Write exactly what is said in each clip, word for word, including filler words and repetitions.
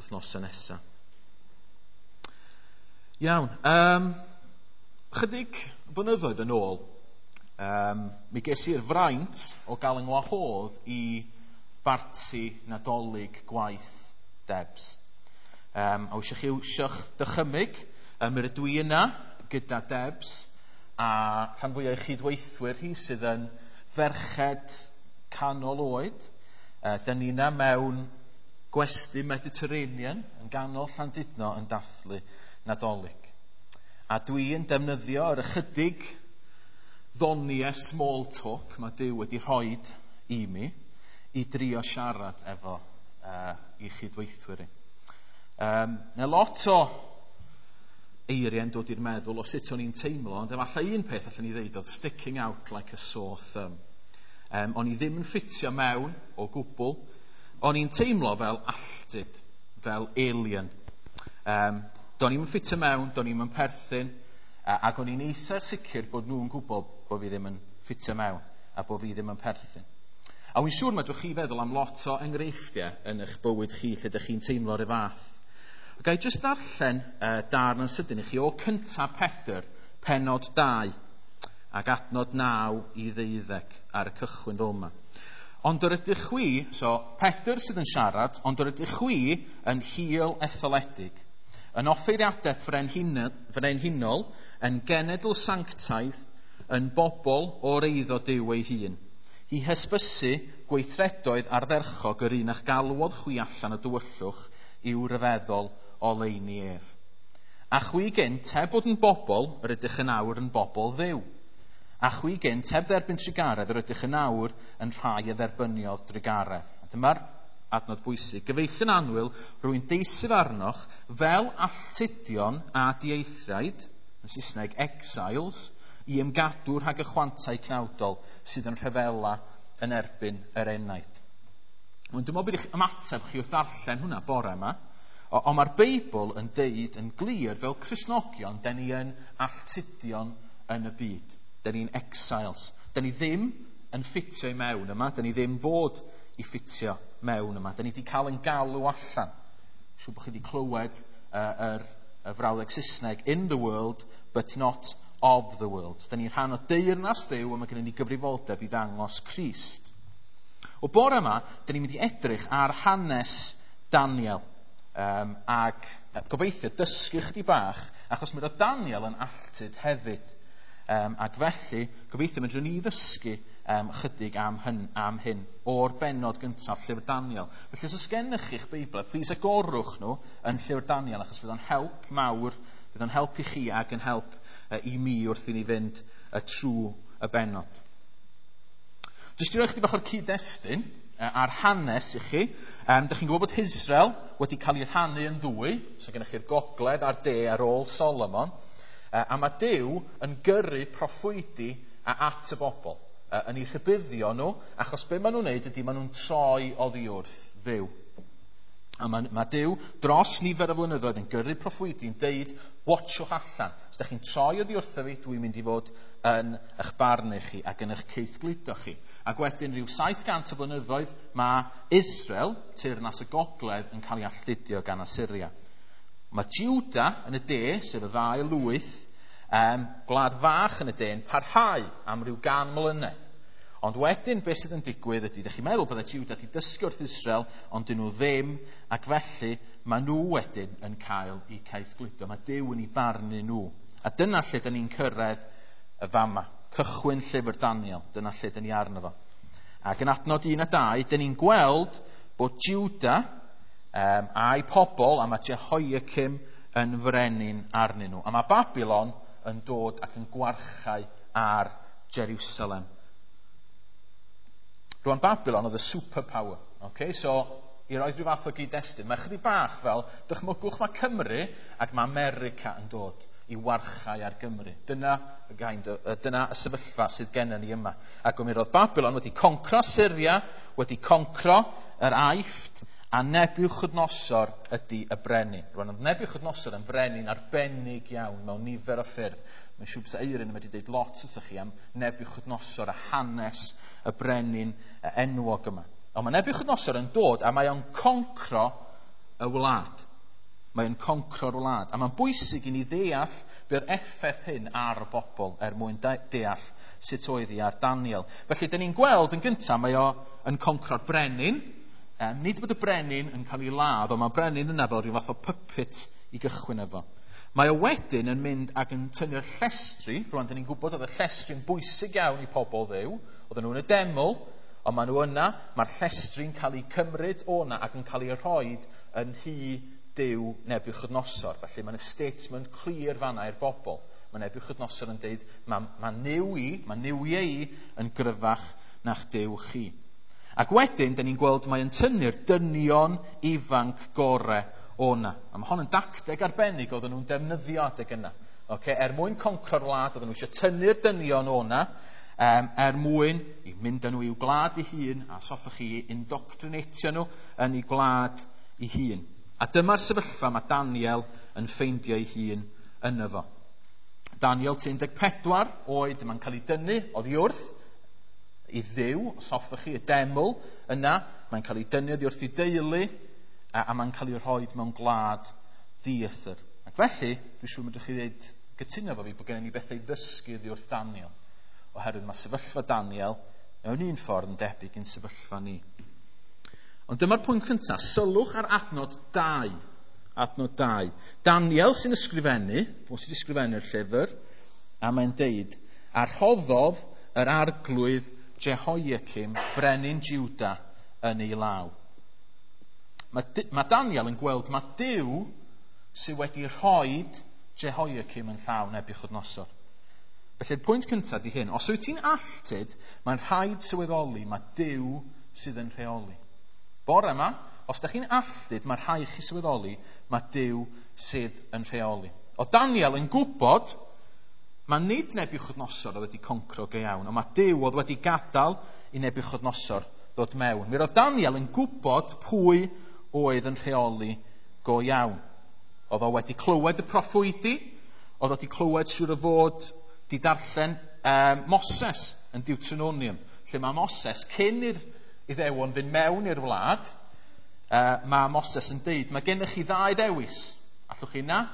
wythnosau nesaf. Iawn, um, chydig flynyddoedd yn ôl, um, mi ges i'r fraint o gael yng ngwahodd i barti Nadolig gwaith Debs. Um, a wysio chi wsio'ch dychymyg, um, mi rydw i yna gyda Debs a rhan fwyaf o'i chydweithwyr hi sydd yn ferched canol oed. Uh, dyn ni yna mewn gwesty Mediterranean yn ganol Llandudno yn dathlu Nadolig. A dwi yn defnyddio yr ychydig ddoniau small talk mae Duw wedi rhoid i mi i drio siarad efo uh, i chydweithwyr i. Um, na lot o eiriau'n dod i'r meddwl o sut o'n i'n teimlo, ond efallai un peth allan ni ddeud oedd sticking out like a sore thumb. Um, o'n i ddim yn ffitio mewn o gwbl. O'n i'n teimlo fel alltud, fel alien. Um, do'n i'm yn ffitio mewn, do'n i'm yn perthyn, ac o'n i'n eitha sicr bod nhw'n gwybod bod fi ddim yn ffitio mewn a bod fi ddim yn perthyn. A wy'n siŵr mae chi feddwl am lot o enghreifftiau yn eich bywyd chi lle ydych chi'n teimlo rhyw fath. Ga i jyst darllen uh, darn yn sydyn i chi o cyntaf Pedr, penod dau, ac adnod naw i ddeuddeg ar y cychwyn fel yma. Ond yr ydych chwi, so Pedr sydd yn siarad, ond yr ydych chwi yn hil etholedig, yn offeiriadaeth frenhinol, yn genedl sanctaidd, yn bobl o'r eiddo Duw ei hun, i hysbysu gweithredoedd ardderchog yr un a'ch galwodd chwi allan o dywyllwch i'w ryfeddol oleuni ef. A chwi gynt, heb fod yn bobl, yr ydych yn awr yn bobl Dduw. A chwi gynt, heb dderbyn trugaredd, yr ydych yn awr yn rhai a dderbyniodd drugaredd. A dyma'r adnod bwysig. Gyfeillion annwyl, rwy'n deisyf arnoch fel alltudion a dieithriaid, yn Saesneg exiles, i ymgadw rhag y chwantau cnawdol sydd yn rhyfela yn erbyn yr enaid. Ond dwi'n meddwl bod eich ymateb chi wrth ddarllen hwnna bore yma, ond mae'r Beibl yn deud yn glir fel Cristnogion, den ni yn alltudion yn y byd. Den ni'n exiles. Den ni ddim yn ffitio i mewn yma, den ni ddim fod i ffitio mewn yma. Den ni wedi cael yn galw allan. Siŵr bod chi wedi clywed uh, yr, y frawddeg Saesneg, in the world, but not of the world. Den ni'n rhan o deyrnas Dduw, a mae gennym ni gyfrifoldeb i ddangos Crist. O bore yma, den ni'n mynd i edrych ar hanes Daniel. Um, ac gobeithio dysgu chdi bach, achos mi roedd Daniel yn alltud hefyd. Um, ac felly, gobeithio medrwn ni ddysgu um, chydig am hyn, am hyn o'r bennod gyntaf llyfr Daniel. Felly, os oes gennych chi'ch Beibl, please agorwch nhw yn llyfr Daniel, achos fydd o'n help mawr, fydd o'n help i chi ac yn help uh, i mi wrth i ni fynd uh, trwy y bennod. Jyst i roi chdi bach o'r cyd-destun uh, a'r hanes i chi. Um, dych chi'n gwybod bod Israel wedi cael ei rhannu yn ddwy, so gennych chi'r gogledd a'r de ar ôl Solomon. Uh, a mae Duw yn gyrru proffwydi a at y bobl, uh, yn eu rhybuddio nhw, achos be maen nhw'n neud ydy maen nhw'n troi oddi wrth Dduw. A mae, mae Duw dros nifer o flynyddoedd yn gyrru proffwydi yn deud, watchwch allan. Os ydych chi'n troi oddi wrtho fi, dwi'n mynd i fod yn eich barnu chi ac yn eich caethgludo chi. Ac wedyn rhyw saith cant o flynyddoedd mae Israel, teyrnas y gogledd, yn cael ei alltudio gan Asyria. Mae Juda yn y de, sef y ddau lwyth, um, gwlad fach yn y de, yn parhau am ryw gan mlynedd. Ond wedyn, beth sydd yn digwydd ydy, ydych chi'n meddwl bydde Juda wedi dysgu wrth Israel, ond dyn nhw ddim, ac felly mae nhw wedyn yn cael eu caethgludo. Mae Duw yn eu barnu nhw. A dyna lle dyn ni'n cyrraedd y fama. Cychwyn llyfr Daniel, dyna lle dyn ni arno fo. Ac yn adnod un a dau, dyn ni'n gweld bod Juda um, a'i pobl, a mae Jehoiakim yn frenin arnyn nhw. A mae Babylon yn dod ac yn gwarchau ar Jerusalem. Rwan Babylon oedd y superpower. Okay? So, i roi rhyw fath o gyd-destun, mae chydig bach fel, dychmygwch mae Cymru ac mae America yn dod i warchau ar Gymru. Dyna y, kind of, dyna y sefyllfa sydd gennym ni yma. Ac mi roedd Babylon wedi concro Syria, wedi concro yr Aifft, a Nebiwchodynosor ydy y brenin. Rwan, oedd Nebiwchodynosor yn frenin arbennig iawn mewn nifer o ffyrdd. Mae'n siŵr bysa Eirin yn wedi dweud lot wrthych chi am Nebiwchodynosor a hanes y brenin enwog yma. Ond mae Nebiwchodynosor yn dod a mae o'n concro y wlad. Mae'n concro'r wlad. A mae'n bwysig i ni ddeall be oedd effaith hyn ar y bobl er mwyn deall sut oedd hi ar Daniel. Felly, dyn ni'n gweld yn gyntaf, mae o yn concro'r brenin. Um, nid bod y brenin yn cael ei ladd, ond mae brenin yna fel rhyw fath o puppet i gychwyn efo. Mae o wedyn yn mynd ac yn tynnu'r llestri. Rwan, dyn ni'n gwybod oedd y llestri'n bwysig iawn i pobl Dduw. Oedden nhw yn y deml, ond maen nhw yna. Mae'r llestri'n cael ei cymryd o'na ac yn cael ei rhoi yn nhŷ Duw Nebiwchodynosor. Felly mae'n statement clir fanna i'r bobl. Mae Nebiwchodynosor yn deud, mae, mae Nuw i, mae Nuwiau i yn gryfach na'ch Duw chi. Ac wedyn, dyn ni'n gweld mae'n tynnu'r dynion ifanc gore o'na. A mae hon yn dacteg arbennig oedden nhw'n defnyddio adeg yna. Okay? Er mwyn concro'r wlad, oedden nhw eisiau tynnu'r dynion o'na, um, er mwyn i mynd â nhw i'w gwlad ei hun, a os hoffech chi indoctrinatio nhw yn ei gwlad ei hun. A dyma'r sefyllfa mae Daniel yn ffeindio ei hun yno fo. Daniel un deg pedwar oed, mae'n cael ei dynnu oddi wrth i Dduw, os hoffech chi, y deml yna, mae'n cael ei dynnu oddi wrth ei deulu, a, a mae'n cael ei rhoi mewn gwlad ddieithr. Ac felly, dwi'n siŵr medrwch chi ddweud gytuno efo fi bod gennym ni bethau i ddysgu oddi wrth Daniel, oherwydd mae sefyllfa Daniel mewn un ffordd yn debyg i'n sefyllfa ni. Ond dyma'r pwynt cyntaf, sylwch ar adnod dau. Adnod dau. Daniel sy'n ysgrifennu, fo sy'n ysgrifennu'r llyfr, a mae'n deud, a rhoddodd yr arglwydd Jehoiakim, brenin Juda, yn ei law. Mae, mae Daniel yn gweld mae Duw sydd wedi rhoi Jehoiakim yn llaw Nebiwchodynosor. Felly'r pwynt cyntaf di hyn, os wyt ti'n alltud, mae'n rhaid sylweddoli mae Duw sydd yn rheoli. Bore yma, os da chi'n alltud, mae'n rhaid chi sylweddoli mae Duw sydd yn rheoli. O Daniel yn gwybod, mae nid Nebiwchodynosor oedd wedi concro go iawn, ond mae Duw oedd wedi gadael i Nebiwchodynosor ddod mewn. Mi roedd Daniel yn gwybod pwy oedd yn rheoli go iawn. Oedd o wedi clywed y proffwydi, oedd o wedi clywed siŵr o fod di darllen um, Moses yn Deuteronomium, lle mae Moses, cyn i'r Iddewon fynd mewn i'r wlad, uh, mae Moses yn deud, mae gennych chi ddau ddewis. Allwch chi na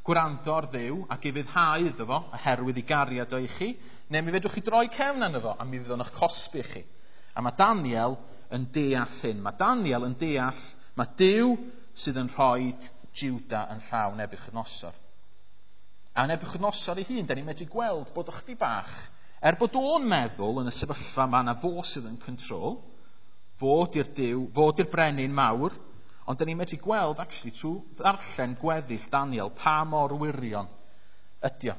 gwrando ar Dduw ac ufuddhau iddo fo, oherwydd ei gariad o i chi, neu mi fedrwch chi droi cefn arno fo, a mi fydd o'n eich cosbi chi. A mae Daniel yn deall hyn. Mae Daniel yn deall, mae Duw sydd yn rhoi Juda yn llaw Nebiwchodynosor. A Nebiwchodynosor ei hun, da ni'n medru gweld bod o'ch di bach, er bod o'n meddwl yn y sefyllfa yma na fo sydd yn control, fod i'r Duw, fod i'r brenin mawr, ond da ni'n medru gweld actually trwy ddarllen gweddill Daniel pa mor wirion ydi o.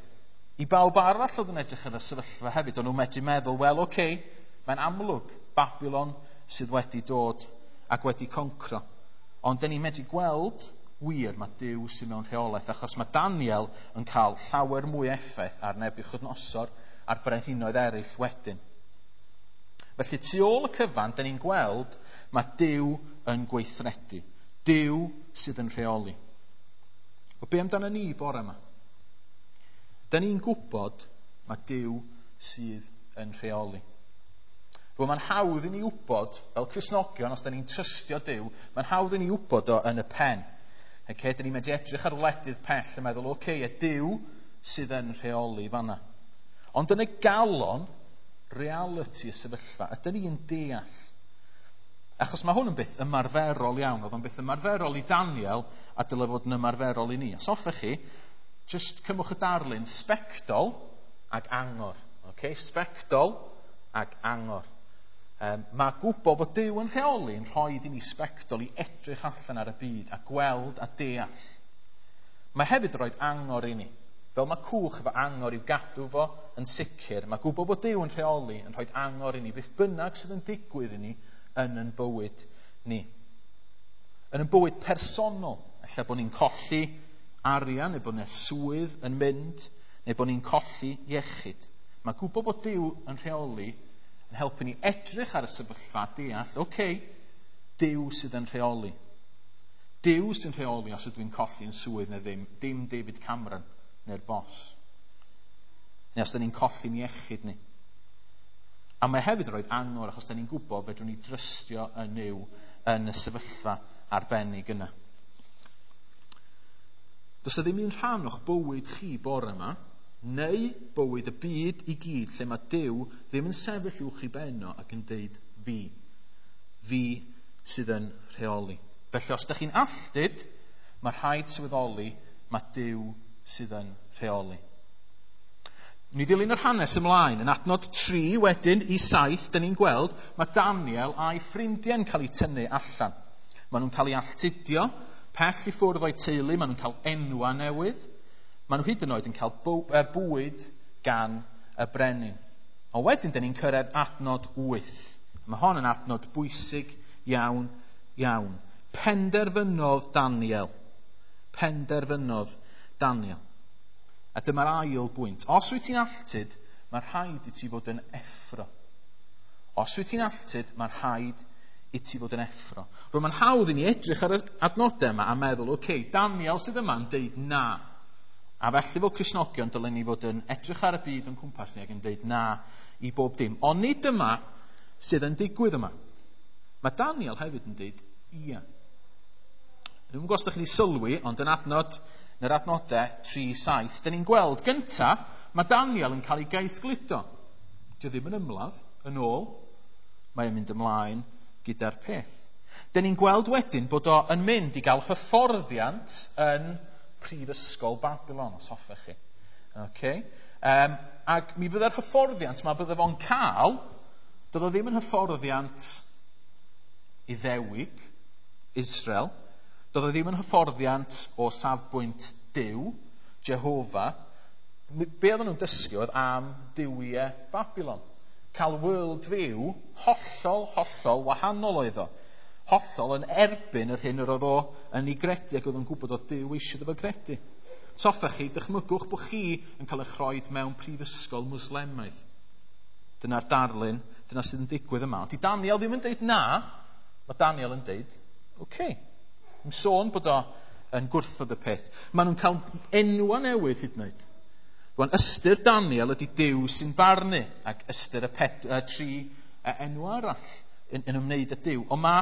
I bawb arall oedd yn edrych ar y sefyllfa hefyd, o'n nhw'n medru meddwl, wel oce, okay, mae'n amlwg Babylon sydd wedi dod ac wedi concro. Ond da ni'n medru gweld wir mae Duw sydd mewn rheolaeth, achos mae Daniel yn cael llawer mwy effaith ar Nebiwchodynosor a'r brenhinoedd eraill wedyn. Felly tu ôl y cyfan, da ni'n gweld mae Duw yn gweithredu. Duw sydd yn rheoli. O be amdano ni bore yma? Da ni'n gwybod mae Duw sydd yn rheoli. Rwy'n mae'n hawdd i ni wybod, fel Cristnogion, os da ni'n trystio Duw, mae'n hawdd i ni wybod o yn y pen. Okay, da ni'n medru edrych ar wledydd pell a meddwl, oce, okay, y Duw sydd yn rheoli fanna. Ond yn y galon, reality y sefyllfa, ydyn ni'n deall. Achos mae hwn yn beth ymarferol iawn, oedd o'n beth ymarferol i Daniel a dyle fod yn ymarferol i ni. Os hoffech chi, just cymwch y darlun sbectol ag angor. Okay? Sbectol ag angor. Um, mae gwybod bod Duw yn rheoli yn rhoi i ni sbectol i edrych allan ar y byd a gweld a deall. Mae hefyd rhoi angor i ni. Fel mae cwch efo angor i'w gadw fo yn sicr, mae gwybod bod Duw yn rheoli yn rhoi angor i ni, beth bynnag sydd yn digwydd i ni yn yn bywyd ni. Yn yn bywyd personol, ella bod ni'n colli arian, neu bod ni'n swydd yn mynd, neu bod ni'n colli iechyd. Mae gwybod bod Duw yn rheoli yn helpu ni edrych ar y sefyllfa, deall, oce, okay, Duw sydd yn rheoli. Duw sy'n rheoli os ydw i'n colli yn swydd neu ddim, dim David Cameron neu'r bos. Neu os da ni'n colli'n iechyd ni. A mae hefyd yn rhoi angor achos da ni'n gwybod fedrwn ni drystio yn Nuw yn y sefyllfa arbennig yna. Does 'na ddim un rhan o'ch bywyd chi bore yma, neu bywyd y byd i gyd, lle mae Duw ddim yn sefyll uwch i ben o ac yn deud fi. Fi sydd yn rheoli. Felly os ydych chi'n alltud, mae rhaid sylweddoli mae Duw sydd yn rheoli. Ni ddilyn yr hanes ymlaen. Yn adnod tri wedyn i saith, dyn ni'n gweld mae Daniel a'i ffrindiau'n cael eu tynnu allan. Maen nhw'n cael eu alltudio, pell i ffwrdd o'i teulu, maen nhw'n cael enwa newydd. Maen nhw hyd yn oed yn cael bwyd gan y brenin. Ond wedyn, dyn ni'n cyrraedd adnod wyth. Mae hon yn adnod bwysig iawn, iawn. Penderfynodd Daniel. Penderfynodd Daniel. A dyma'r ail bwynt. Os wyt ti'n alltud, mae rhaid i ti fod yn effro. Os wyt ti'n alltud, mae rhaid i ti fod yn effro. Rwy'n mae'n hawdd i ni edrych ar y adnodau yma a meddwl, oce, okay, Daniel sydd yma'n deud na. A felly fel Cristnogion dylen ni fod yn edrych ar y byd o'n cwmpas ni ac yn deud na i bob dim. Ond nid dyma sydd yn digwydd yma. Mae Daniel hefyd yn deud ia. Dwi'm yn gwybod os ydych chi'n sylwi, ond yn adnod yn yr adnodau tri saith, dyn ni'n gweld gynta, mae Daniel yn cael ei gaethgludo. Dio ddim yn ymladd, yn ôl, mae'n mynd ymlaen gyda'r peth. Dyn ni'n gweld wedyn bod o yn mynd i gael hyfforddiant yn Prifysgol Babylon, os hoffech chi. Okay. Um, ac mi fydda'r hyfforddiant ma bydde fo'n cael, doedd o ddim yn hyfforddiant Iddewig, Israel, doedd o ddim yn hyfforddiant o safbwynt Duw, Jehofa. Be oedden nhw'n dysgu oedd am duwiau Babylon. Cael world view hollol, hollol wahanol oedd o. Hollol yn erbyn yr hyn yr oedd o yn ei gredu ac oedd o'n gwybod oedd Duw eisiau iddo fo gredu. So hoffech chi, dychmygwch bod chi yn cael eich rhoi mewn prifysgol Mwslemaidd. Dyna'r darlun, dyna sydd yn digwydd yma. Ond di Daniel ddim yn deud na, mae Daniel yn deud, oce. Okay. Yn sôn bod o yn gwrthod y peth. Maen nhw'n cael enwa newydd hyd yn oed. Rwan, ystyr Daniel ydy Duw sy'n barnu, ac ystyr y, ped, y tri enw arall yn, yn ymwneud â Duw. Ond mae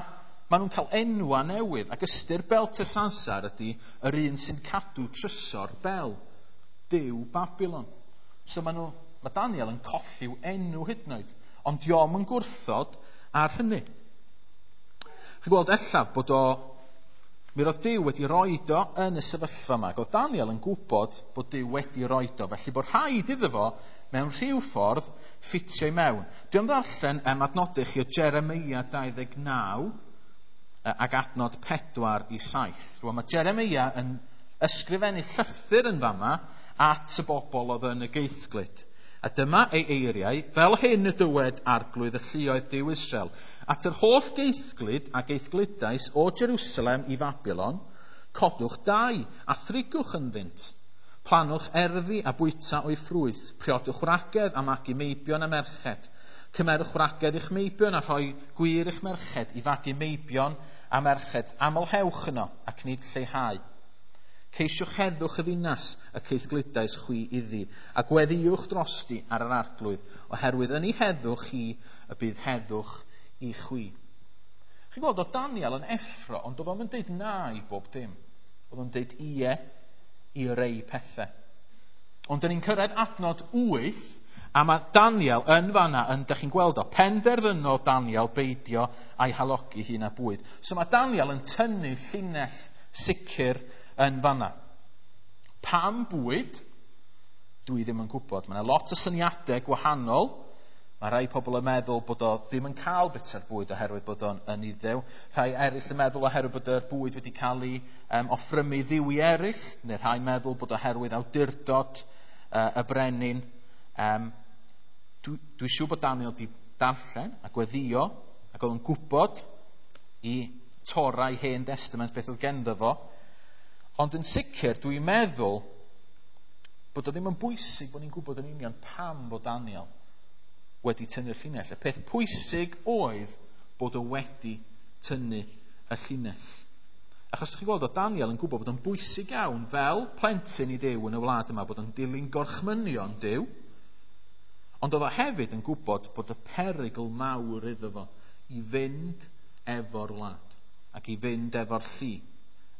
ma nhw'n cael enwa newydd, ac ystyr Belteshazzar ydy yr un sy'n cadw trysor Bel, Duw Babylon. So maen nhw, mae Daniel yn colli'w enw hyd yn oed, ond dio'm yn gwrthod ar hynny. Chi'n gweld ella bod o mi roedd Duw wedi roed o yn y sefyllfa yma. Ac oedd Daniel yn gwybod bod Duw wedi roed o, felly bod rhaid iddo fo mewn rhyw ffordd ffitio i mewn. Dwi am ddarllen um, adnodau chi o Jeremia dau ddeg naw ac adnod pedwar i saith. Rwan mae Jeremia yn ysgrifennu llythyr yn fama at y bobl oedd yn y geithglyd. A dyma ei eiriau, fel hyn y dywed arglwydd y lluoedd Duw Israel, at yr holl geithglyd a geithglydais o Jerusalem i Babylon, codwch dai a thrigwch ynddynt, planwch erddi a bwyta o'i ffrwyth, priodwch wragedd a magu meibion a merched, cymerwch wragedd i'ch meibion a rhoi gwir i'ch merched i fagu meibion a merched, amlhewch yno ac nid lleihau. Ceisiwch heddwch y ddinas y ceithglydais chwi iddi, a gweddïwch drosti ar yr arglwydd, oherwydd yn ei heddwch hi y bydd heddwch i chwi. Chi'n gweld, oedd Daniel yn effro, ond oedd o'n deud na i bob dim. Oedd o'n deud ie i rei pethau. Ond dyn ni'n cyrraedd adnod wyth, a mae Daniel yn fanna, yn, dych chi'n gweld o, penderfynodd Daniel beidio a'i halogi hun â bwyd. So mae Daniel yn tynnu llinell sicr yn fanna. Pam bwyd? Dwi ddim yn gwybod. Mae yna lot o syniadau gwahanol. Mae rhai pobl yn meddwl bod o ddim yn cael bita'r bwyd oherwydd bod o'n yn iddew. Rhai eraill yn meddwl oherwydd bod yr bwyd wedi cael ei um, offrymu ddiwi eraill. Neu rhai meddwl bod oherwydd awdurdod uh, y brenin. Um, dwi, dwi siŵr bod Daniel wedi darllen a gweddio ac oedd yn gwybod i Torah Hen Testament beth oedd genddo fo. Ond yn sicr, dwi'n meddwl bod o ddim yn bwysig bod ni'n gwybod yn union pam bod Daniel wedi tynnu'r llinell. Y peth pwysig oedd bod o wedi tynnu y llinell. Achos chi'n gweld, oedd Daniel yn gwybod bod o'n bwysig iawn fel plentyn i Dduw yn y wlad yma, bod o'n dilyn gorchmynion Duw, ond oedd o hefyd yn gwybod bod y perygl mawr iddo fo i fynd efo'r wlad ac i fynd efo'r llu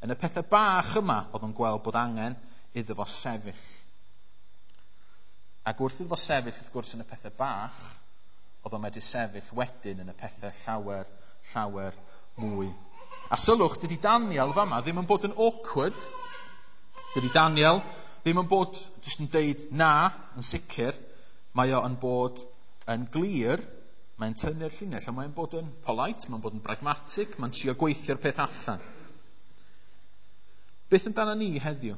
Yn y pethau bach yma, oedd o'n gweld bod angen iddo fo sefyll. Ac wrth iddo fo sefyll, wrth gwrs, yn y pethau bach, oedd o'n medru sefyll wedyn yn y pethau llawer, llawer mwy. A sylwch, dydy Daniel fama ddim yn bod yn awkward. Dydy Daniel ddim yn bod jyst yn deud na, yn sicr. Mae o yn bod yn glir, mae'n tynnu'r llinell, ond mae'n bod yn polite, mae'n bod yn pragmatic, mae'n trio gweithio'r peth allan. Beth amdano ni heddiw?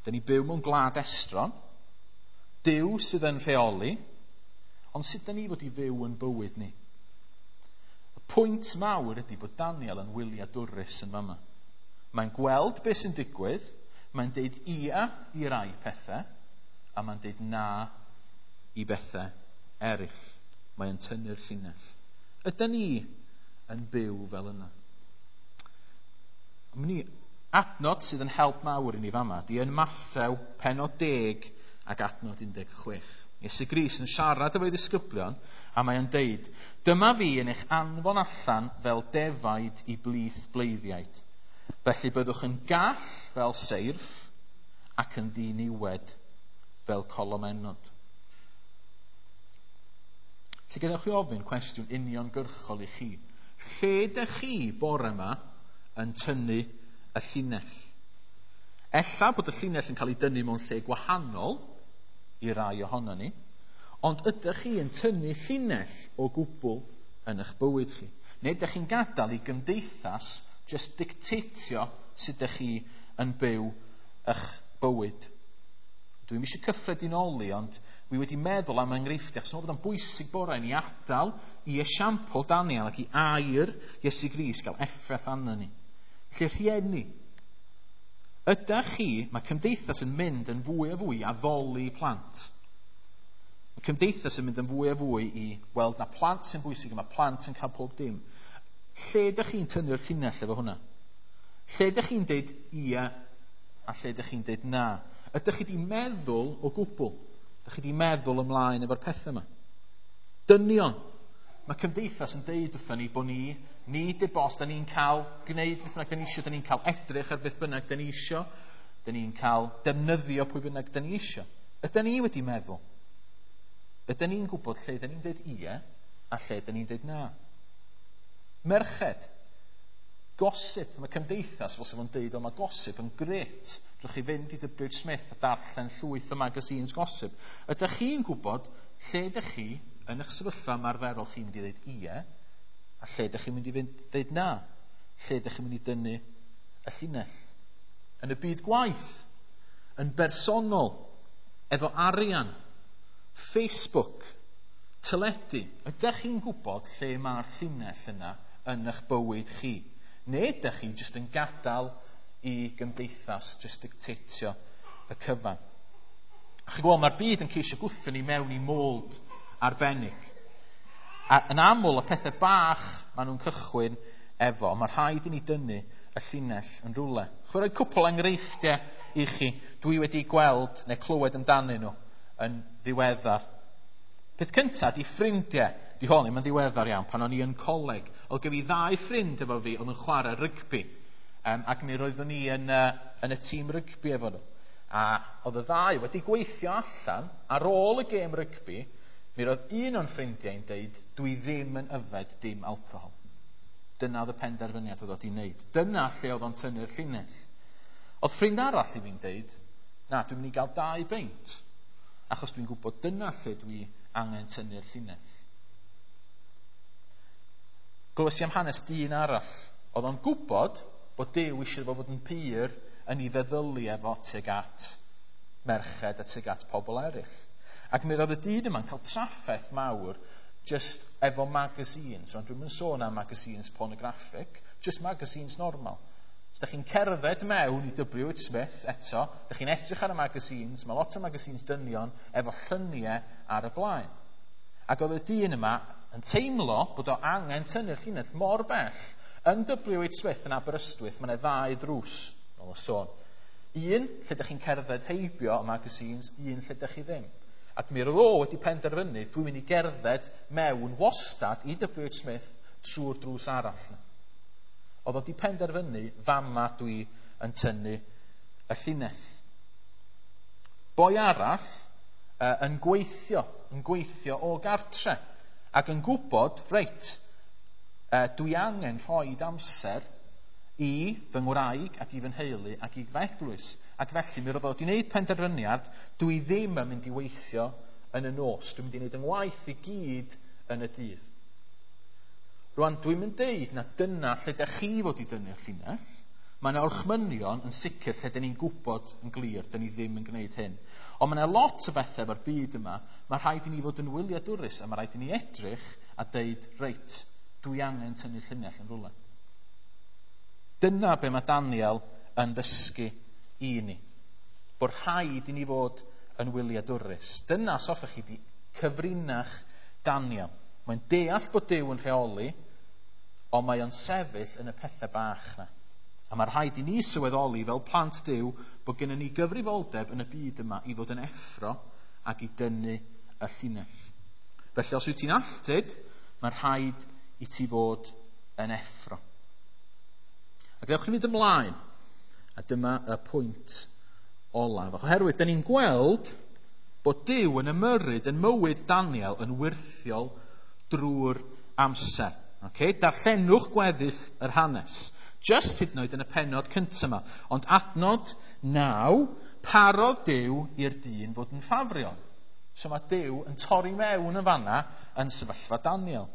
Dyn ni byw mewn gwlad estron, Duw sydd yn rheoli, ond sut dyn ni fod i fyw yn bywyd ni? Y pwynt mawr ydy bod Daniel yn wyliadwrus yn fama. Mae'n gweld beth sy'n digwydd, mae'n deud ia i rai pethau, a mae'n deud na i bethau eraill. Mae'n tynnu'r llinell. Ydyn ni yn byw fel yna? Mynd i adnod sydd yn help mawr i ni fama, di yn Mathew penod deg ac adnod un deg chwech. Iesu Grist yn siarad efo'i ddisgyblion a mae'n deud, dyma fi yn eich anfon allan fel defaid i blith bleiddiaid. Felly byddwch yn gall fel seirff ac yn ddiniwed fel colomenod. Felly gadewch chi ofyn cwestiwn uniongyrchol i chi. Lle dych chi bore yma yn tynnu y llinell? Ella bod y llinell yn cael ei dynnu mewn lle gwahanol i rai ohono ni, ond ydych chi yn tynnu llinell o gwbl yn eich bywyd chi? Neu ydych chi'n gadael i gymdeithas just dictatio sut ydych chi yn byw eich bywyd? Dwi'm eisiau cyffredinoli, ond wi wedi meddwl am enghreifftiau, achos bod o'n bwysig bore ni adael i esiampl Daniel ac i air Iesu Grist gael effaith arno ni. Felly rhieni, ydych chi, mae cymdeithas yn mynd yn fwy a fwy addoli plant. Mae cymdeithas yn mynd yn fwy a fwy i weld na plant sy'n bwysig, a mae plant yn cael pob dim. Lle ydych chi'n tynnu'r llinell efo hwnna? Lle ydych chi'n deud ia a lle ydych chi'n deud na? Ydych chi wedi meddwl o gwbl? Ydych chi wedi meddwl ymlaen efo'r pethau yma? Dynion. Mae cymdeithas yn deud wrthon ni bod ni, ni dy bos, da ni'n cael gwneud beth bynnag da ni isio, da ni'n cael edrych ar beth bynnag da ni isio, da ni'n cael defnyddio pwy bynnag da ni isio. Ydyn ni wedi meddwl? Ydyn ni'n gwybod lle da ni'n deud ie a lle da ni'n deud na? Merched. Gossip, mae cymdeithas fel sef o'n deud, o mae gossip yn gret. Drwch chi fynd i W H Smith a darllen llwyth o magazines gossip. Ydych chi'n gwybod lle ydych chi yn eich sefyllfa ymarferol chi'n mynd i ddeud ie, a lle ydych chi'n mynd i fynd ddeud na? Lle ydych chi'n mynd i dynnu y llinell? Yn y byd gwaith, yn bersonol, efo arian, Facebook, teledu, ydych chi'n gwybod lle mae'r llinell yna yn eich bywyd chi? Neu ydych chi jyst yn gadael i gymdeithas jyst dictatio y cyfan? A chi'n gweld, mae'r byd yn ceisio gwthio ni mewn i mold arbennig. A yn aml, y pethau bach maen nhw'n cychwyn efo, mae rhaid i ni dynnu y llinell yn rhywle. Chwi roi cwpl enghreifftiau i chi dwi wedi gweld neu clywed amdanyn nhw yn ddiweddar. Peth cyntaf di ffrindiau. Di hwn ddim yn ddiweddar iawn, pan o'n i yn coleg. Oedd gen i ddau ffrind efo fi oedd yn chwarae rygbi. Um, ac mi roeddwn i yn, uh, yn y tîm rygbi efo nhw. A oedd y ddau wedi gweithio allan ar ôl y gêm rygbi, mi roedd un o'n ffrindiau yn deud, dwi ddim yn yfed dim alcohol. Dyna oedd y penderfyniad oedd wedi wneud. Dyna lle oedd o'n tynnu'r llinell. Oedd ffrind arall i fi'n deud, na, dwi'n mynd i gael dau beint, achos dwi'n gwybod dyna lle dwi angen tynnu'r llinell. Glywes i am hanes dyn arall. Oedd o'n gwybod bod Duw eisiau fo fod yn pur yn ei feddyliau efo tuag at merched a tuag at pobl eraill. Ac mi roedd y dyn yma'n cael trafferth mawr just efo magazines. Rwan, dwi'm yn sôn am magazines pornographic, just magazines normal. Os ydych chi'n cerdded mewn i W H Smith eto, ydych chi'n edrych ar y magazines, mae lot o magazines dynion efo lluniau ar y blaen. Ac oedd y dyn yma yn teimlo bod o angen tynnu'r llinell mor bell. Yn W H Smith yn Aberystwyth, mae yna ddau ddrws, nôl y sôn. Un, lle ydych chi'n cerdded heibio y magazines, un lle ydych chi ddim. Ac mi roedd o wedi penderfynu, dwi'n mynd i gerdded mewn wastad i W H Smith trwy'r drws arall. Oedd o wedi penderfynu, fama dwi yn tynnu y llinell. Boi arall uh, yn gweithio, yn gweithio o gartre, ac yn gwybod, reit, uh, dwi angen rhoi amser i fy ngwraig ac i fy nheulu ac i fy eglwys. Ac felly mi roedd o wedi gwneud penderfyniad, dwi ddim yn mynd i weithio yn y nos, dwi'n mynd i wneud yng ngwaith i gyd yn y dydd. Rwan, dwi'n mynd deud na dyna lle dych chi fod i dynnu'r llinell. Mae yna orchmynion yn sicr lle dyn ni'n gwybod yn glir, dyn ni ddim yn gwneud hyn. Ond mae yna lot o bethau efo'r byd yma, mae rhaid i ni fod yn wyliadwrus a mae rhaid i ni edrych a deud, reit, dwi angen tynnu llinell yn rhywle. Dyna be mae Daniel yn ddysgu i ni. Bod rhaid i ni fod yn wyliadwrus. Dyna, os hoffech chi, di cyfrinach Daniel. Mae'n deall bod Duw yn rheoli, ond mae o'n sefyll yn y pethau bach na. A mae rhaid i ni sylweddoli fel plant Duw bod gennym ni gyfrifoldeb yn y byd yma i fod yn effro ac i dynnu y llinell. Felly os wyt ti'n alltud, mae rhaid i ti fod yn effro. Ac ewch ni fynd ymlaen. A dyma y pwynt olaf. Oherwydd, dyn ni'n gweld bod Duw yn ymyrryd yn mywyd Daniel yn wyrthiol drwy'r amser. Okay? Darllenwch gweddill yr hanes. Just hyd yn oed yn y pennod cyntaf yma. Ond adnod naw, parodd Duw i'r dyn fod yn ffafriol. So mae Duw yn torri mewn yn fanna yn sefyllfa Daniel.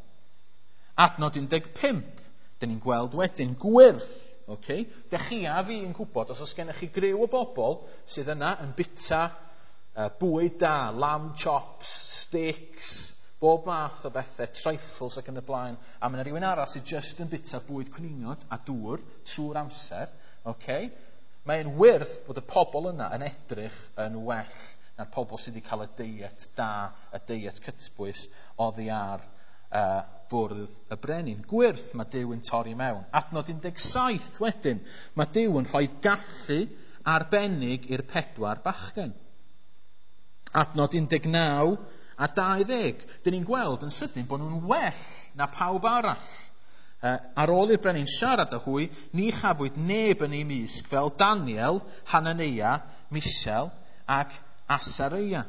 Adnod un deg pump, dyn ni'n gweld wedyn gwyrth. Okay? Dych chi a fi yn gwybod, os oes gennych chi griw o bobl sydd yna yn bita uh, bwyd da, lamb chops, steaks, bob math o bethau, trifles ac yn y blaen, a mae yna rhywun arall sydd just yn bita bwyd cwningod a dŵr trwy'r amser, okay? Mae'n wyrth bod y pobl yna yn edrych yn well na'r pobl sydd wedi cael y deiet da, y deiet cytbwys oddi ar uh, fwrdd y brenin. Gwyrth mae Duw yn torri mewn. Adnod un deg saith wedyn, mae Duw yn rhoi gallu arbennig i'r pedwar bachgen. Adnod un deg naw a dau ddeg. Dyn ni'n gweld yn sydyn bod nhw'n well na pawb arall. Uh, ar ôl i'r brenin siarad â hwy, ni chafwyd neb yn ei mysg fel Daniel, Hanania, Mishael ac Asaria.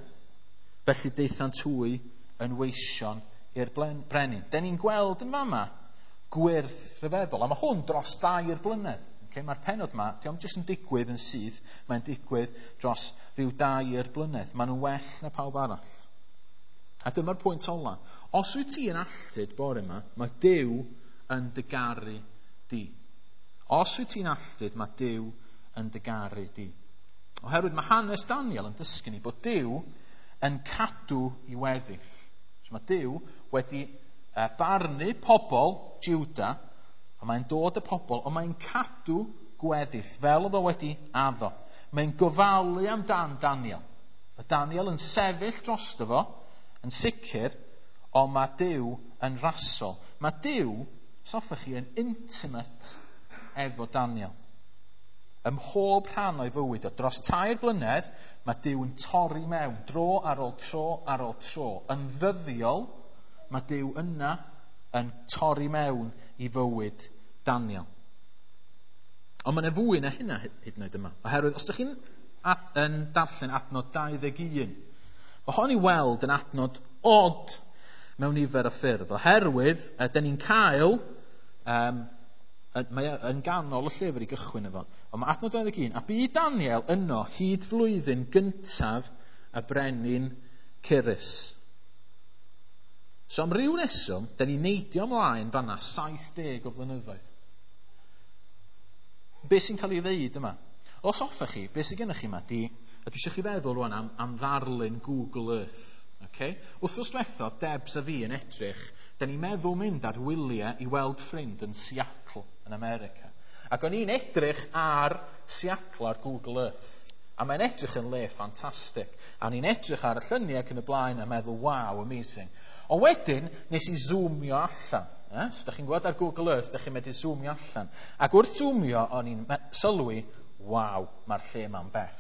Felly daethant hwy yn weision i'r brenin. Dyn ni'n gweld yn fama gwyrth rhyfeddol. A mae hwn dros dair blynedd. Okay, mae'r pennod yma, dio'm jyst yn digwydd yn syth, mae'n digwydd dros rhyw dair blynedd. Maen nhw'n well na pawb arall. A dyma'r pwynt ola. Os wyt ti yn alltud bore yma, mae Duw yn dy garu di. Os wyt ti'n alltud, mae Duw yn dy garu di. Oherwydd mae hanes Daniel yn dysgu ni bod Duw yn cadw i weddill. So mae Duw wedi barnu pobl Juda, a mae'n dod y pobl, ond mae'n cadw gweddill, fel oedd o wedi addo. Mae'n gofalu amdan Daniel. Mae Daniel yn sefyll drosto fo, yn sicr, ond mae Duw yn rasol. Mae Duw, soffech chi, yn intimate efo Daniel. Ym mhob rhan o'i fywyd o, dros tair blynedd, mae Duw yn torri mewn, dro ar ôl tro ar ôl tro. Yn ddyddiol, mae Duw yna yn torri mewn i fywyd Daniel. Ond mae yna fwy na hynna hyd yn oed yma. Oherwydd, os ydych chi'n yn darllen adnod dau ddeg un, mae hon i weld yn adnod od mewn nifer o ffyrdd. Oherwydd, dyn ni'n cael, um, mae yn ganol y llyfr i gychwyn efo, ond mae adnod dau ddeg un, a bu Daniel yno hyd flwyddyn gyntaf y brenin Cyrus. So am ryw reswm, dyn ni'n neidio ymlaen fanna saith deg o flynyddoedd. Be sy'n cael ei ddeud yma? Os hoffech chi, be sy'n gennych chi yma, di, a dwi eisiau chi feddwl rwan am, am ddarlun Google Earth. Okay? Wythnos diwethaf, Debs a fi yn edrych, da ni'n meddwl mynd ar wyliau i weld ffrind yn Seattle yn America. Ac o'n i'n edrych ar Seattle ar Google Earth. A mae'n edrych yn le ffantastig. A o'n i'n edrych ar y lluniau ac yn y blaen a meddwl, wow, amazing. Ond wedyn, nes i zoomio allan. Eh? So, da chi'n gweld ar Google Earth, da chi'n medru zoomio allan. Ac wrth zoomio, o'n i'n sylwi, waw, mae'r lle ma'n bell.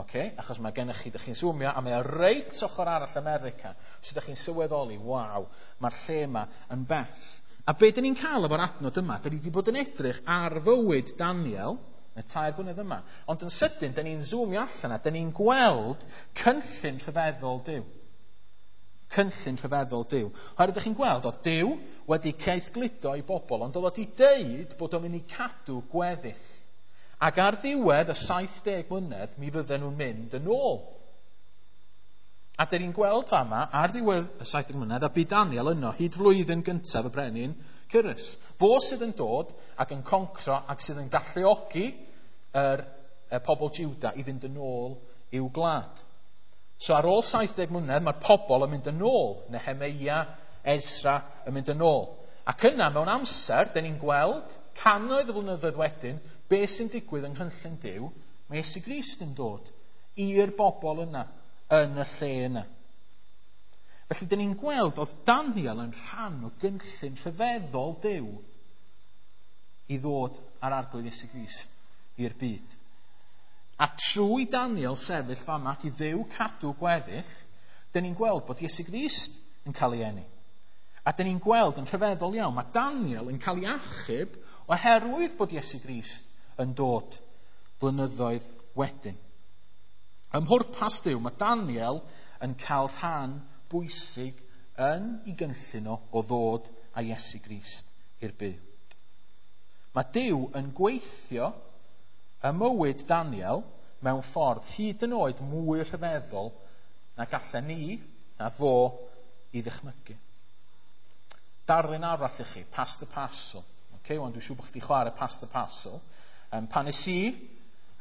Okay? Achos mae gennych chi, da chi'n zoomio, a mae o reit ochr arall America. So da chi'n sylweddoli, waw, mae'r lle yma yn bell. A be dyn ni'n cael efo'r adnod yma, dyn ni wedi bod yn edrych ar fywyd Daniel, y tair blynedd yma, ond yn sydyn, dyn ni'n zoomio allan a dyn ni'n gweld cynllun rhyfeddol Duw. Cynllun rhyfeddol Duw. Oherwydd ydych chi'n gweld, oedd Duw wedi caethgludo i bobl, ond oedd wedi deud bod o'n mynd i cadw gweddill. Ac ar ddiwedd y saith deg mlynedd, mi fydden nhw'n mynd yn ôl. A dyn ni'n gweld fama, ar ddiwedd y saith deg mlynedd, a bu Daniel yno hyd flwyddyn gyntaf y brenin Cyrus. Fo sydd yn dod ac yn concro ac sydd yn galluogi yr, y pobl Juda i fynd yn ôl i'w gwlad. So ar ôl saith deg mlynedd, mae'r pobl yn mynd yn ôl. Nehemeia, Ezra yn mynd yn ôl. Ac yna, mewn amser, dyn ni'n gweld cannoedd o flynyddoedd wedyn, be sy'n digwydd yng nghynllun Duw, mae Iesu Grist yn dod i'r bobl yna, yn y lle yna. Felly, dyn ni'n gweld oedd Daniel yn rhan o gynllun rhyfeddol Duw i ddod ar Arglwydd Iesu Grist i'r byd. A trwy Daniel sefyll fama ac i Dduw cadw gweddill, dyn ni'n gweld bod Iesu Grist yn cael ei eni. A dyn ni'n gweld yn rhyfeddol iawn, mae Daniel yn cael ei achub oherwydd bod Iesu Grist yn dod blynyddoedd wedyn. Ym mhwrpas Duw, mae Daniel yn cael rhan bwysig yn ei gynllun o, o ddod â Iesu Grist i'r byd. Mae Duw yn gweithio ym mywyd Daniel mewn ffordd hyd yn oed mwy rhyfeddol na gallen ni, na fo, i ddychmygu. Darlun arall i chi, Pass the Parcel. Okay, wan, dwi'n siŵr bod chdi chwarae Pass the Parcel. Um, pan nes i,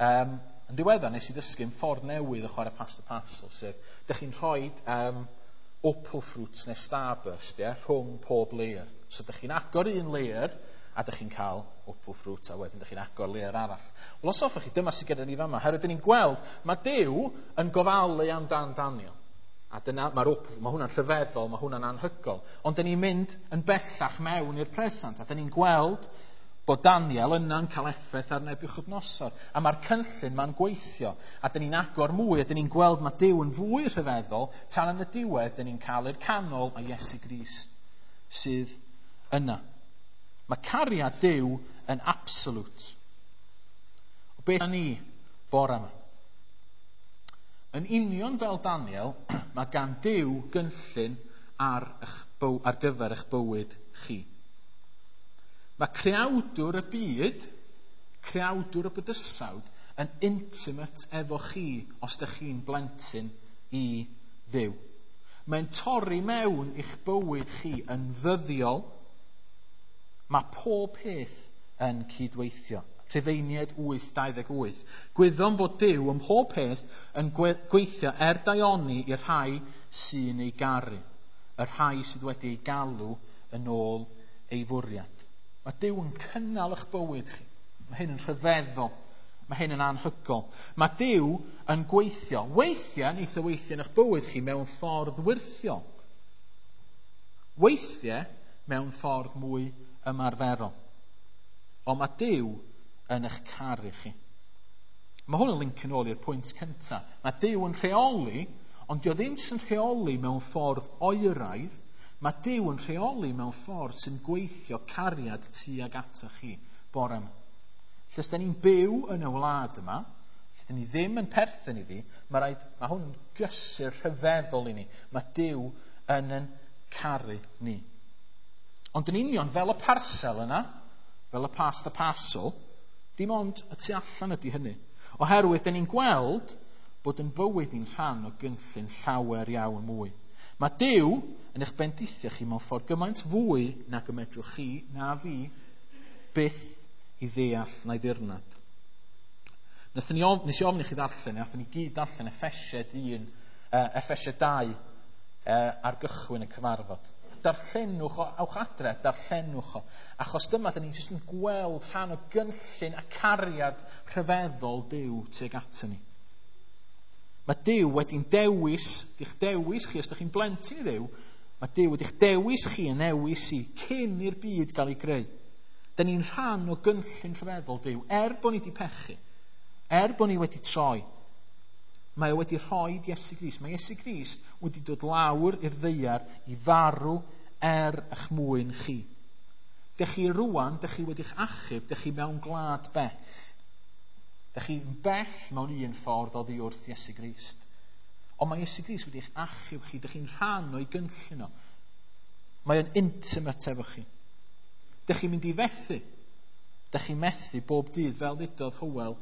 um, yn ddiweddar, nes i ddysgu yn ffordd newydd o chwarae Pass the Parcel, sef, dych chi'n rhoi um, Opal Fruits neu Starburst, yeah, rhwng pob layer. So dych chi'n agor un layer, a dych chi'n cael Opal Fruit, a wedyn dych chi'n agor layer arall. Wel, os hoffech chi, dyma sydd gyda ni fama. Herwydd dyn ni'n gweld, mae Duw yn gofalu amdan Daniel. A dyna, mae'r Opal, mae hwnna'n rhyfeddol, mae hwnna'n anhygol. Ond dyn ni'n mynd yn bellach mewn i'r presant, a dyn ni'n gweld bod Daniel yna'n cael effaith ar Nebiwchodynosor. A mae'r cynllun ma'n gweithio. A dyn ni'n agor mwy, a dyn ni'n gweld mae Duw yn fwy rhyfeddol, tan yn y diwedd, dyn ni'n cael i'r canol a Iesu Grist sydd yna. Mae cariad Duw yn absolute. O beth ni bore yma? Yn union fel Daniel, mae gan Duw gynllun ar, eich byw, ar gyfer eich bywyd chi. Mae creawdwr y byd, creawdwr y bydysawd, yn intimate efo chi os ydych chi'n blentyn i Dduw. Mae'n torri mewn i'ch bywyd chi yn ddyddiol. Mae pob peth yn cydweithio. Rhufeiniaid wyth dau ddeg wyth. Gwyddom fod Duw ym mhob peth yn gweithio er daioni i'r rhai sy'n ei garu, y rhai sydd wedi ei galw yn ôl ei fwriad. Mae Duw yn cynnal eich bywyd chi. Mae hyn yn rhyfeddol. Mae hyn yn anhygol. Mae Duw yn gweithio. Weithiau, neith o weithio yn eich bywyd chi mewn ffordd wyrthiol. Weithiau mewn ffordd mwy ymarferol. Ond mae Duw yn eich caru chi. Mae hwn yn link yn ôl i'r pwynt cyntaf. Mae Duw yn rheoli, ond dio ddim jyst yn rheoli mewn ffordd oeraidd. Mae Duw yn rheoli mewn ffordd sy'n gweithio cariad tuag ata chi bore yma. Lle os da ni'n byw yn y wlad yma, lle da ni ddim yn perthyn iddi, mae, rhaid, mae hwn yn gysur rhyfeddol i ni. Mae Duw yn yn caru ni. Ond yn union fel y parsel yna, fel y Pass the Parcel, dim ond y tu allan ydy hynny. Oherwydd, da ni'n gweld bod yn fywyd ni'n rhan o gynllun llawer iawn mwy. Mae Duw yn eich bendithio chi mewn ffordd gymaint fwy nag y medrwch chi na fi byth i ddeall na'i ddirnad. Nathon ni of, nes i ofyn i chi ddarllen, nathon ni gyd darllen Effesiaid un, uh, Effesiaid dau uh, ar gychwyn y cyfarfod. Darllenwch o, awch adre, darllenwch o. Achos dyma, dyn ni'n jyst yn gweld rhan o gynllun a cariad rhyfeddol Duw tuag ato ni. Mae Duw wedi'n dewis, di'ch dewis chi, os ydych chi'n blentyn i Dduw, mae Duw wedi'ch dewis chi yn newis i cyn i'r byd gael ei greu. Dyn ni'n rhan o gynllun rhyfeddol Duw, er bod ni wedi pechu, er bod ni wedi troi. Mae o wedi rhoi Iesu Grist. Mae Iesu Grist wedi dod lawr i'r ddaear i farw er eich mwyn chi. Dych chi rwan, dych chi wedi'ch achub, dych chi mewn gwlad bell. Dych chi'n bell mewn un ffordd oddi wrth Iesu Grist. Ond mae Iesu Grist wedi'ch achub chi, dych chi'n rhan o'i gynllun o. Mae o'n intimate efo chi. Dych chi'n mynd i fethu. Dych chi'n methu bob dydd, fel ddudodd Hywel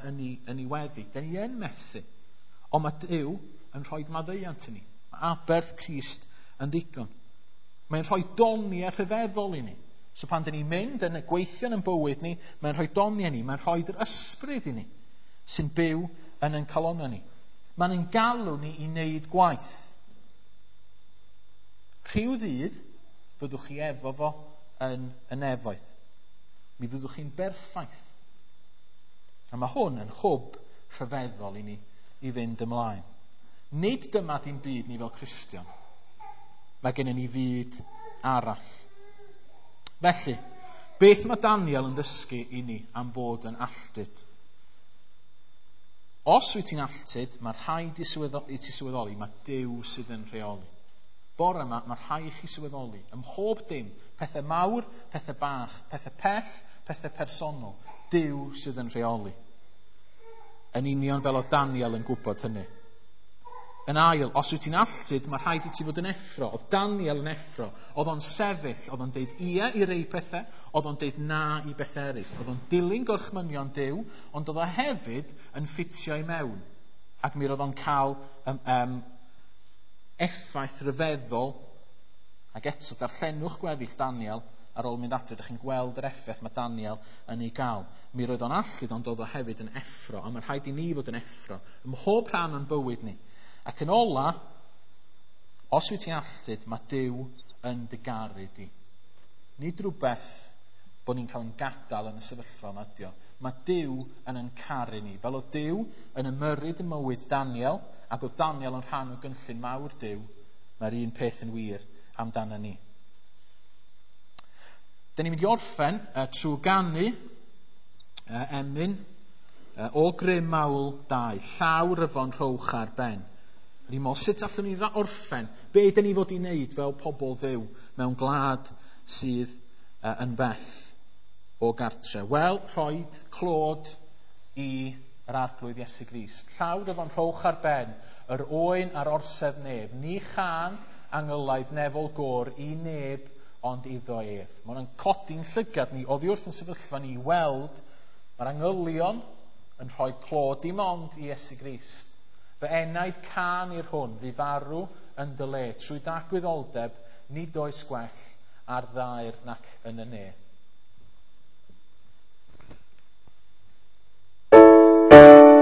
yn ei, yn ei weddi. Dych ni yn methu. Ond mae Duw yn rhoi maddeuant i ni. Mae aberth Crist yn ddigon. Mae'n rhoi doniau rhyfeddol i ni. So pan dyn ni'n mynd yn y gweithio yn bywyd ni, mae'n rhoi doniau ni, mae'n rhoi'r ysbryd i ni sy'n byw yn ein calonnau ni. Mae'n ein galw ni i wneud gwaith. Rhyw ddydd fyddwch chi efo fo yn y nefoedd. Mi fyddwch chi'n berffaith. A mae hwn yn hwb rhyfeddol i ni i fynd ymlaen. Nid dyma dim byd ni fel Cristion. Mae gennym ni fyd arall. Felly, beth mae Daniel yn ddysgu i ni am fod yn alltud? Os wyt ti'n alltud, mae rhaid i, sylweddo, i ti sylweddoli, mae Duw sydd yn rheoli. Bore yma, mae rhaid i chi sylweddoli, ym mhob dim, pethau mawr, pethau bach, pethau pell, pethau personol, Duw sydd yn rheoli. Yn union fel oedd Daniel yn gwybod hynny. Yn ail, os wyt ti'n alltud, mae rhaid i ti fod yn effro. Oedd Daniel yn effro. Oedd o'n sefyll, oedd o'n deud ie i rei pethau, oedd o'n deud na i bethau eraill. Oedd o'n dilyn gorchmynion Duw, ond oedd o hefyd yn ffitio i mewn. Ac mi roedd o'n cael um, um, effaith ryfeddol. Ac eto, darllenwch gweddill Daniel ar ôl mynd adre, ydych chi'n gweld yr effaith mae Daniel yn ei gael. Mi roedd o'n alltud, ond oedd o hefyd yn effro. A mae rhaid i ni fod yn effro ym mhob rhan o'n bywyd ni. Ac yn ola, os wyt ti'n alltud, mae Duw yn dy garu di. Nid rhywbeth bod ni'n cael yn gadael yn y sefyllfa yma ydi o. Mae Duw yn yn caru ni. Fel oedd Duw yn ymyrryd ym mywyd Daniel, ac oedd Daniel yn rhan o gynllun mawr Duw, mae'r un peth yn wir amdano ni. Dyn ni'n mynd i orffen uh, trwy ganu uh, emyn uh, o grym mawl dau, llaw ryfon rhowch ar ben. Ni'n meddwl, sut allwn ni orffen? Be dyn ni fod i wneud fel pobl Dduw mewn gwlad sydd uh, yn bell o gartre? Wel, rhoid clod i yr Arglwydd Iesu Grist. Llaw ryfon rhowch ar ben, yr oen ar orsedd nef. Ni chan angylaidd nefol gôr i neb ond iddo ef. Mae hwnna'n codi'n llygad ni oddi wrth yn sefyllfa ni i weld mae'r angylion yn rhoi clod dim ond i Iesu Grist. Fy enaid can i'r hwn, fu farw yn dy le, trwy dagwyddoldeb, nid oes gwell ar ddaear nac yn y ne. Thank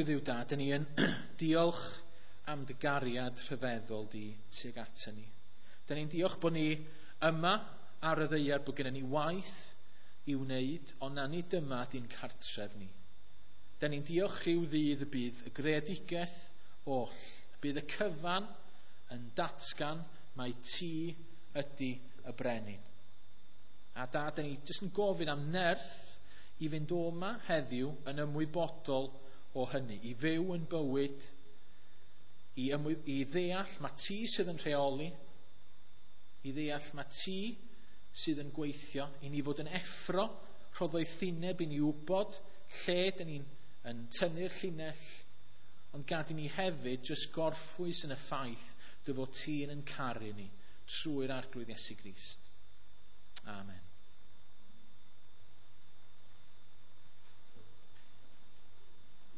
Arglwydd Dduw Dad, dyn ni yn diolch am dy gariad rhyfeddol di tuag ato ni. Dyn ni'n diolch bod ni yma ar y ddaear, bod gennym ni waith i wneud, ond na nid dyma di'n cartref ni. Dyn ni'n diolch rhyw ddydd y bydd y greadigaeth oll, y bydd y cyfan yn datgan mai ti ydy y brenin. A Dad, dyn ni jyst yn gofyn am nerth i fynd o yma heddiw yn ymwybodol o hynny, i fyw yn bywyd, i, ymwy, i ddeall mae ti sydd yn rheoli, i ddeall mae ti sydd yn gweithio, i ni fod yn effro, rho ddoethineb i ni wybod lle dyn ni'n yn tynnu'r llinell, ond gad i ni hefyd jyst gorffwys yn y ffaith dy fod ti'n yn caru ni trwy'r Arglwydd Iesu Grist. Amen.